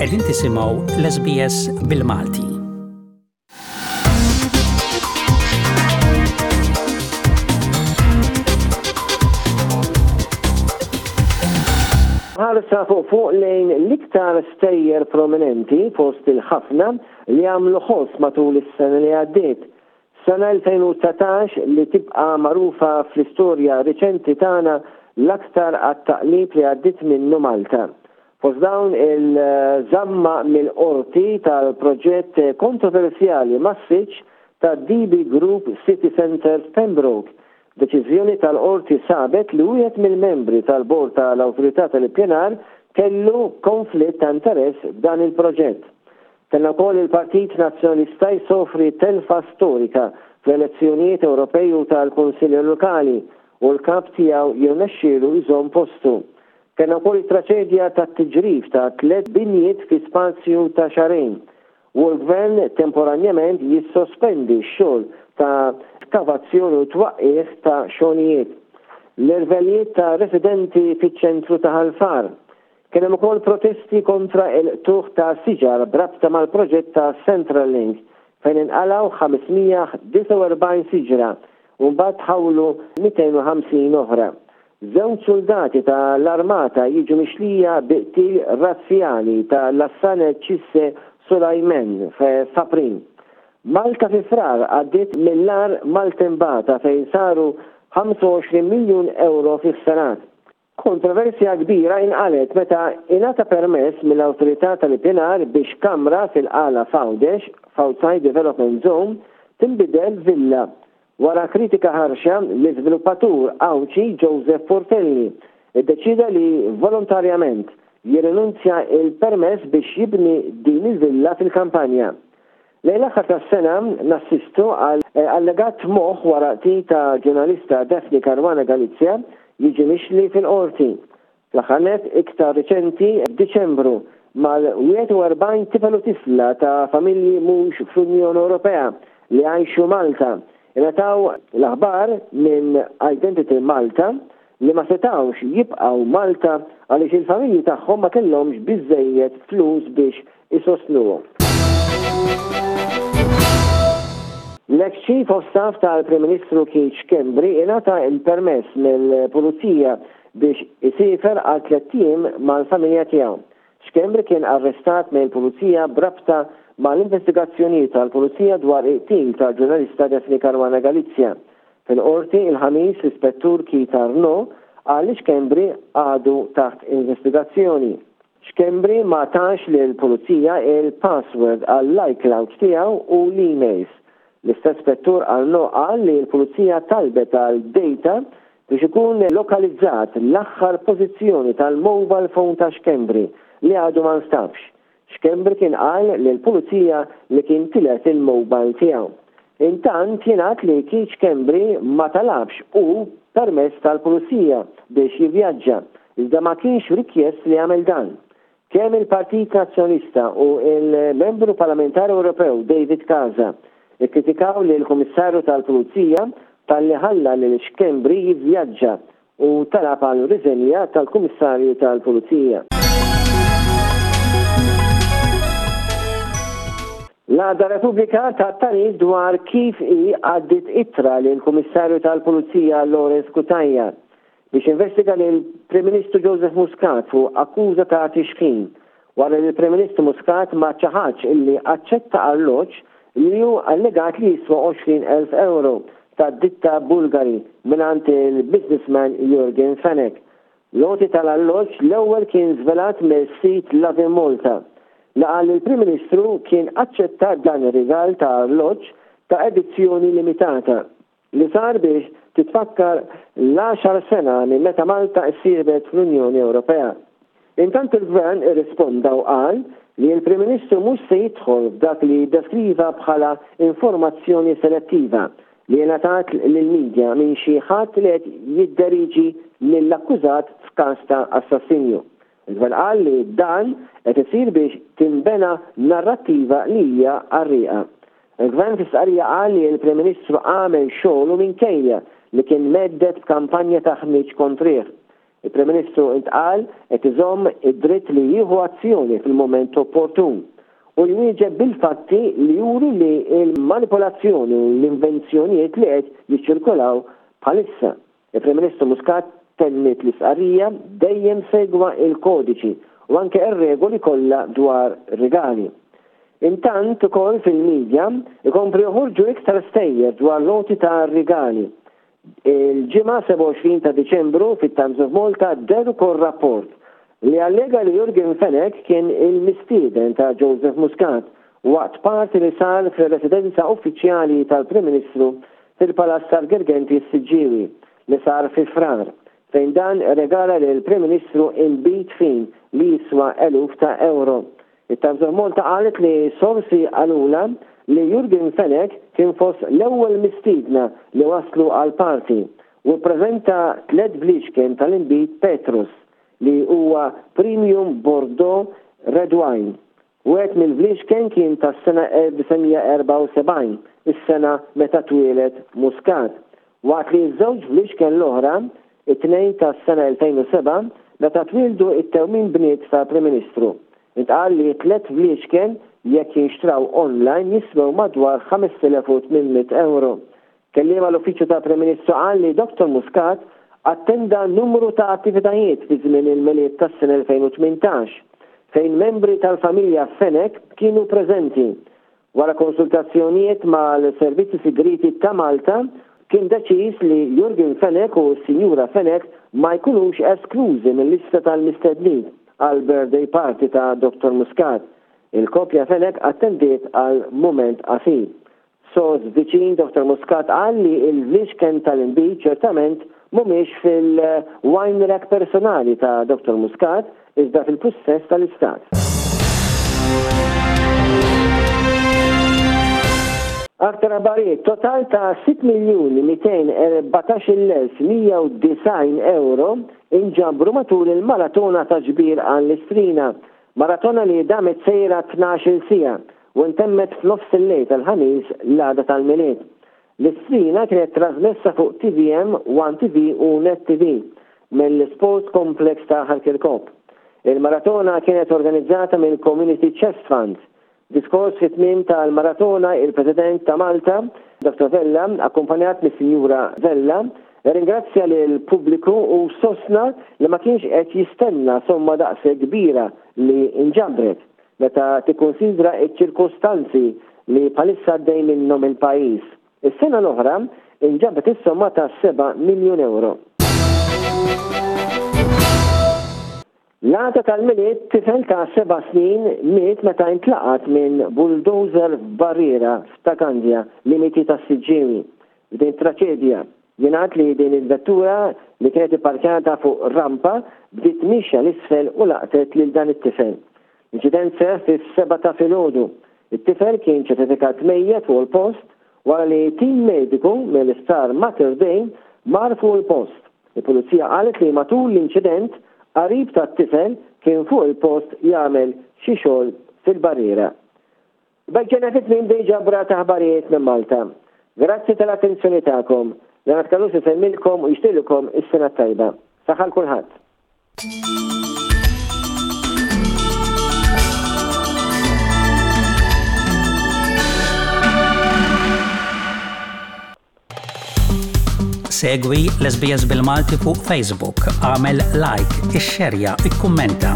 Qegħdin tisimgħu l-SBS bil-Malti. Ħarsa fuq fuq lejn l-iktar stejjer prominenti fost il-ħafna li għamlu ħoss matul is-sena li għaddiet. Sena 2019 li tibqa' magħrufa fl-istorja riċenti tagħna l-aktar għat-taqlib li għaddiet minnu Malta. Fost dawn il-żamma mill-Qorti tal-proġett kontroversjali massiċ tad-DB Group City Centre f'Pembroke, deċiżjoni tal-Qorti sabet li wieħed mill-membri tal-Bord tal-Awtorità tal-Ippjanar kellu konflitt ta' interess f'dan il-proġett. Kellna wkoll il-Partit Nazzjonalista jsofri telfa storika fl-elezzjonijiet Ewropej u tal-Kunsilli Lokali u l-Kap tiegħu jirnexxielu jżomm postu. Kellna wkoll it-traċedja tat-tiġrif ta' tlett binjiet fi spazju ta' xahrejn u l-Gvern temporanjament jissospendi x-xogħol ta' skavazzjoni u twaqqigħ ta' xogħlijiet. L-irvellijiet ta' residenti fiċ-ċentru ta' Ħal Far. Kien hemm ukoll protesti kontra l-qtugħ ta' siġar b'rabta mal-proġett ta' Central Link fejn inqalgħu 549 siġra u mbagħad tħawlu 250 oħra. Żewġ suldati ta' l-armata jiġu mixlija bi qtil razzjali ta' Lassane Cisse Soulaimen f'April. Malta fi Frar għaddiet mill-agħar maltembata fejn saru 25 miljun ewro fi ħsarat. Kontroversja kbira inqalgħet meta ingħata permess mill-Awtorità tal-Ippjanar biex kamra fil-Qala f'Għawdex, f'Outside Development Zone, tinbidel f'villa. Wara kritika ħarxa, l-iżviluppatur Għawdxi Joseph Portelli ddeċieda li volontarjament jirrinunzja l-permess biex jibni din il-villa fil-kampanja. Lejn l-aħħar tas-sena nassistu għal allegat moħħ wara qtil ta' ġurnalista Daphne Caruana Galizia jiġi mixli fil-Qorti. Fl-aħħar nett, iktar riċenti, f'Diċembru, mal-41 tifel u tifla ta' familji mhux fl-Unjoni Ewropea li jgħixu Malta, ingħataw l-aħbar minn Identity Malta li ma setgħux jibqgħu Malta għaliex il-familji tagħhom ma kellhomx biżżejjed flus biex isostnuhom. L-eks Chief of Staff tal-Prim Ministru Keith Schembri ingħata l-permess mill-Pulizija biex isiefer għal tlett ijiem mal-familja tiegħu. Schembri kien arrestat mill-Pulizija b'rabta mal-investigazzjonijiet tal-Pulizija dwar il-qtil tal-ġurnalista Daphne Caruana Galizia. Fil-Qorti, il-Ħamis, l-Ispettur Keith Arnaud qal li Schembri għadu taħt investigazzjoni. Schembri ma tax lill-Pulizija il-password għall-iCloud tiegħu u l-emails. L-istess Spettur Arnaud qal li l-Pulizija talbet għal data biex ikun lokalizzat l-aħħar pożizzjoni tal-mobile phone ta' Schembri li għadu ma nstabx. Schembri kien qal lill-Pulizija li kien tilef il-mobile tiegħu. Intant jingħad li Keith Schembri ma talabx hu permess tal-Pulizija biex jivvjaġġa, iżda ma kienx rikjest li jagħmel dan. Kemm il-Partit Nazzjonalista u l-Membru Parlamentari Ewropew David Casa kkritikaw lill-Kummissarju tal-Pulizija talli ħalla lil Schembri jivvjaġġa u talab għal riżenja tal-Kummissarju tal-Pulizija. L-għada Repubblika tat tagħrif dwar kif hi għaddiet ittra lill-Kummissarju tal-Pulizija Lawrence Cutajar biex jinvestiga lill-Prim Ministru Joseph Muscat fuq akkuża ta' tixħim wara li l-Prim Ministru Muscat ma ċaħadx illi aċċetta arloġġ li hu allegat li jiswa 20,000 ewro tad-ditta Bulgari mingħand il-businessman Yorgen Fenech. L-għoti tal-arloġġ l-ewwel kien żvelat mis-sit Lovin Malta, li qal li l-Prim Ministru kien aċċetta dan ir-rigal ta' arloġġ ta' edizzjoni limitata. li sar biex titfakkar l-għaxar sena minn meta Malta issieħbet fl-Unjoni Ewropea. Intant il-Gvern irrisponda u qal li l-Prim Ministru mhux se jidħol f'dak li ddeskriva bħala informazzjoni selettiva li ingħatat lill-media minn xi ħadd li qed jidderiġi lill-akkużat f'każ ta' assassinju. Il-Gvern qal li dan qed isir biex tinbena narrattiva li hija qarrieqa. Il-Gvern fi stqarrija qal li l-Prim Ministru għamel xogħlu minkejja li kien mhedded b'kampanja ta' ħmieġ kontrih. Il-Prim Ministru intqal qed iżomm id-dritt li jieħu azzjoni fil-mument opportun u jwieġeb bil-fatti li juru li l-manipolazzjoni u l-invenzjonijiet li qed jiċċirkolaw bħalissa. Il-Prim Ministru Muscat tenniet l-istqarrija dejjem segwa l-kodiċi u anke r-regoli kollha dwar rigali. Intant ukoll fil-media ikomplu joħorġu iktar stejjer dwar l-għoti ta' rigali. Il-Ġimgħa 27 ta' Diċembru fit-Times of Malta deher ukoll rapport li allega li Yorgen Fenech kien il-mistieden ta' Joseph Muscat waqt party li sar fir-residenza uffiċjali tal-Prim Ministru fil-Palazz tal-Girgenti s-Siġġiewi li sar fi Frar fejn dan irregala lill-Prim Ministru inbid fin li jiswa eluf ta' ewro. It-Times of Malta qalet li sorsi qalulha li Yorgen Fenech kien fost l-ewwel mistiedna li waslu għall-party u ppreżenta tlett bliexken tal-inbid Petrus li huwa premium Bordeaux red wine. Wieħed mill-bliexken kien tas-sena 1974, is-sena meta twieled Muscat, waqt li ż-żewġ bliexken l-oħra, it-tnejn tas-sena 2007, meta twieldu t-tewmin bniet tal-Prim Ministru. Intqal li t-tlett bliexken jekk jinxtraw online jiswew madwar 5,800 ewro. Kelliem għall-Uffiċċju tal-Prim Ministru qal li Dottor Muscat attenda numru ta' attivitajiet fi żmien il-Milied tas-sena 2018, fejn membri tal-familja Fenech kienu preżenti. Wara konsultazzjonijiet mal-Servizzi Sigrieti ta' Malta, kien deċiż li Yorgen Fenech u s-Sinjura Fenech ma jkunux esklużi mil-lista tal-mistednin għall-birthday party ta' Dottor Muscat. Il-koppja Fenech attendiet għal mument qasir. Sors viċin Dottor Muscat qal li l-vliexken tal-inbid ċertament mhumiex fil-wine rack personali ta' Dottor Muscat iżda fil-pussess tal-Istat. Aktar aħbarijiet, Total ta' 6,214,190 ewro inġabru matul il-maratona ta' ġbir għall-Istrina, maratona li damet sejra 12-il siegħa u ntemmet f'nofs il-lejl tal-Ħamis l-għada tal-Milied. L-istrina kienet trażmessa fuq tvm, One TV u Net TV mill-Sports Complex ta' Ħal Kirkop. Il-maratona kienet organizzata mill-Community Chest Fund. F'diskors fit-tmiem tal-maratona il-President ta' Malta, Dottor Vella, akkumpanjat mis-Sinjura Vella, irringrazzja lill-pubbliku u sostna li ma kienx qed jistenna somma daqshekk kbira li nġabret. Meta tikkunsidra ċ-ċirkustanzi li bħalissa għaddej minnhom il-pajjiż. Is-sena l-oħra inġabet is-somma ta' seba' miljun ewro. L-għada tal-Milied tifel ta' seba' snin miet meta intlaqat minn bulldozer f'barriera f'Ta' Kandja, limiti tas-Siġġiewi. F'din it-traċedja, jingħad li din il-vettura li kienet ipparkjata fuq rampa bdiet miexja 'l isfel u laqtet lil dan it-tifel. L-inċident seħħ fis-sebgħa ta' filgħodu. It-tifel kien ċertifikat mejjet fuq il-post wara li tim mediku mill-Isptar Mater Dei mar fuq il-post. Il-Pulizija qalet li matul l-inċident qarib tat-tifel kien fuq il-post jagħmel xi xogħol fil-barriera. B'hekk ġejna fi tmiem din ġabra ta' aħbarijiet minn Malta. Grazzi tal-attenzjoni tagħkom. Leonard Callus isellmilkom u jixtieqilkom is-sena t-tajba. Saħħa 'l kulħadd. Segwi l-SBS bil-Malti fuq Facebook, għamel like, ixxerja, ikkummenta.